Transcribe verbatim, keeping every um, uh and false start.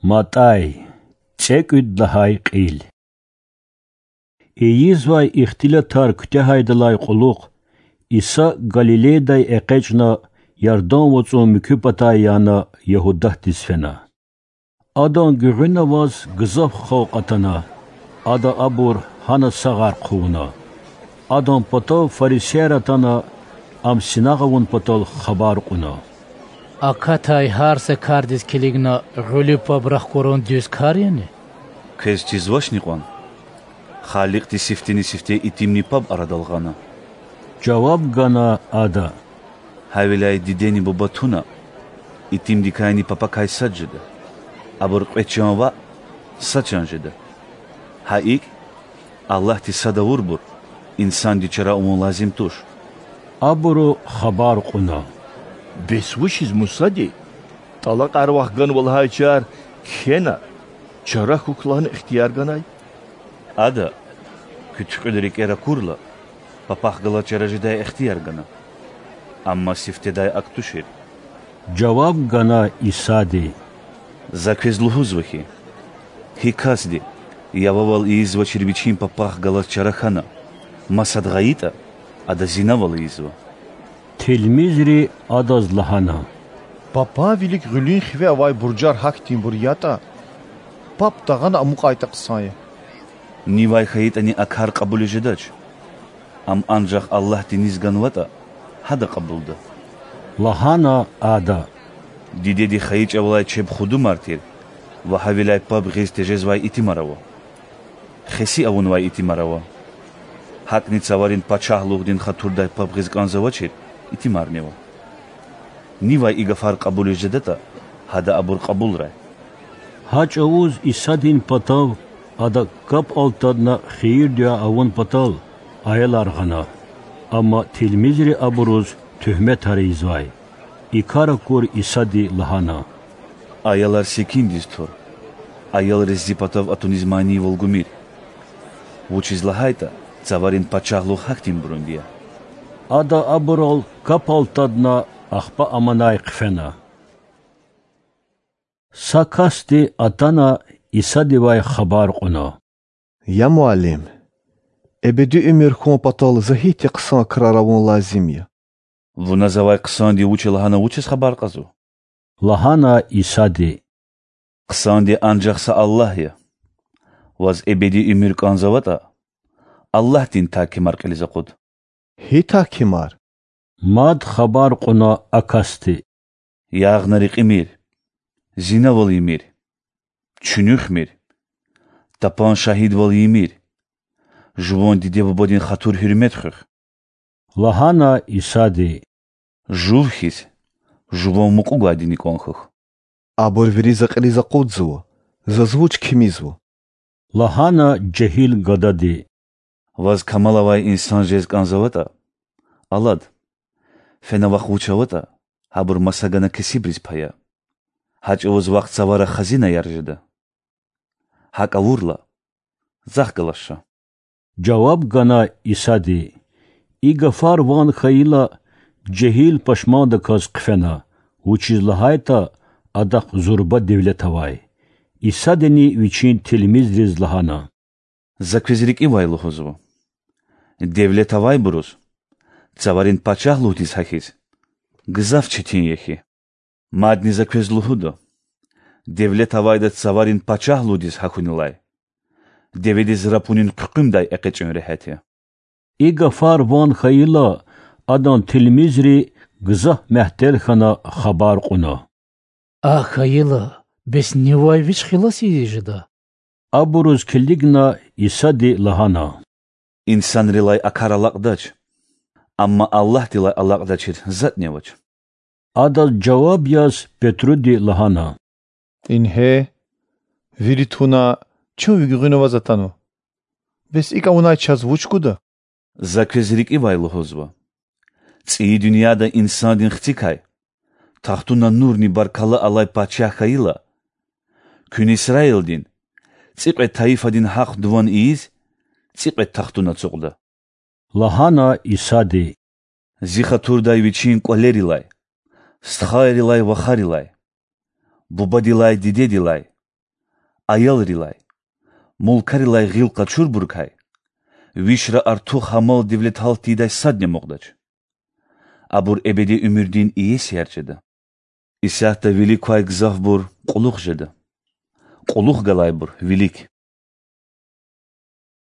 МатӀай, цӀекӀуьд лагьай кьил. Ийизвай ихтилатар куьтягьайдалай кьулухъ Иса Галилейдай экъечӀна, Ярдан вацӀун муькуь патай яна, Ягьудатдиз фена. Адан гуьгъуьна аваз гзаф халкь атана, Ада абур гьана сагъар хъувуна. Адан патав фарисеяр атана, Ам синагъ авун патал хабар кьуна: Акатай гьар са кардиз килигна гъуьлуьв паб рахкурун дуьз кар яни? Квез чизвачни кьван: Халикьди сифтени-сифте итимни паб арадал гъана? Жаваб гана Ада: Гьавиляй дидени буба туна, итимдикайни папакай сад жеда, абур кьве чан ваъ, са чан жеда. Гьа икӀ, Аллагьди сад авурбур инсанди чара авун лазим туш. Абуру хабар кьуна: Бес вучиз Мусади: ТӀалакьар вахганва лагьайчар кхьена, чара хьухь лагьана ихтияр ганай? Ада: Куь туькьуьл рикӀер акурла, папахъ галаз чара жедай ихтияр гана. Амма сифтедай акӀ тушир. Жаваб гана Исади: За квез лугьузва хьи, гьи касди, я вавал ийизвачир вичин папахъ галаз чара хьана, масад гъайитӀа, ада зинавал ийизва. Тилмизри Адаз лагьана: Папан вилик гъуьлуьн хиве авай буржар гьахьтинбур ятӀа, паб тагъана амукьайтӀа хъсан я. Нивай хьайитӀани а кар кьабулиз жедач. Ам анжах Аллагьди низ ганватӀа, гьада кьабулда,— лагьана Ада. Дидеди хайи чӀавалай чеб худумар тир ва гьавиляй паб гъиз тежезвай итимар ава. Хеси авунвай итимар ава. ГьакӀни Цаварин Пачагьлугъдин хатурдай паб гъиз кӀанзавачир итимарнива. Нивай и гафар кьабулиз жедатӀа, гьада абур кьабулрай. Гьа чӀавуз Исадин патав Адак капӀ алтадна хийир-дуьа авун патал аялар гъана. Амма тилмизри абуруз туьгьметар ийизвай. И кар акур Исади лагьана: Аялар секиндиз тур, аялриз Зи патав атуниз манийвал гумир. Вучиз лагьайтӀа Цаварин Пачагьлугъ гьахьтинбурунди я. Ада абурал капӀ алтадна, ахпа аманай хъфена. Са касди атана, Исадивай хабар кьуна: Я Муаллим! Эбеди уьмуьр хьун патал за гьихьтин хъсан крар авун лазим я? Вуна завай хъсандив вуч я лагьана вучиз хабар кьазва? лагьана Исади. Хъсанди анжах са Аллагь я. Ваз эбеди уьмуьр кӀанзаватӀа, Аллагьдин тагькимар кьилиз акъуд. Гьи тагькимар? мад хабар кьуна а касди. Ягъна рекьимир, зинавал ийимир, чуьнуьхмир, тапан шагьидвал ийимир, жуван диде-бубадин хатур-гьуьрмет хуьх,— лагьана Исади. Жув хьиз, жуван мукьув гвайдини кӀан хьухь. Абур вири За кьилиз акъудзава, Заз вуч кимизва? лагьана жегьил гадади. Ваз камал авай инсан жез кӀанзаватӀа, алад, фена вахъ вуч аватӀа, гьабур маса гана кесибриз пая. Гьа чӀавуз вахъ Цавара хазинаяр жеда. ГьакӀ авурла, Захъ галаз ша. Жаваб гана Исади. И гафар ван хьайила, жегьил пашмандаказ хъфена, вучиз лагьайтӀа адахъ зурба девлет авай. Исадини Вичин тилмизриз лагьана: За квез рикӀивай лугьузва: девлет авайбуруз Цаварин Пачагьлугъдиз гьахьиз гзаф четин я хьи. Мадни За квез лугьуда: девлет авайда Цаварин Пачагьлугъдиз гьахьунилай деведиз рапунин хъуькъуьмдай экъечӀун регьят я. И гафар ван хьайила, Адан тилмизри гзаф мягьтел хьана хабар кьуна: Акӏ хьайила, бес нивай вич хилас ийиз жеда? Абуруз килигна, Исади лагьана: Инсанрилай а кар алакьдач, амма Аллагьдилай алакьдачир затӏни авач. Адаз жаваб яз Петруди лагьана: Ингье, вири туна, чун ви гуьгъуьна аваз атанва. Бес икӏ авунай чаз вуч гуда? За квез рикӏивай лугьузва: цӏийи дуьньяда Инсандин Хцикай тахтуна нурни баркалла алай пачагь хьайила, куьн Исраилдин цӏикьвед тайифадин гьахъ-дуван ийиз, цӏикьвед тахтун ацукьда,— лагьана Исади. Зи хатурдай вичин кӏвалерилай, стхайрилай, вахарилай, бубадилай, дидедилай, аялрилай, мулкарилай гъил къачурбурукай вишра артух гьа мал-девлет гьалт тийидай садни амукьдач. Абур эбеди уьмуьрдин иесияр жеда. Исятда вилик квай гзафбур кьулухъ жеда, кьулухъ галайбур вилик.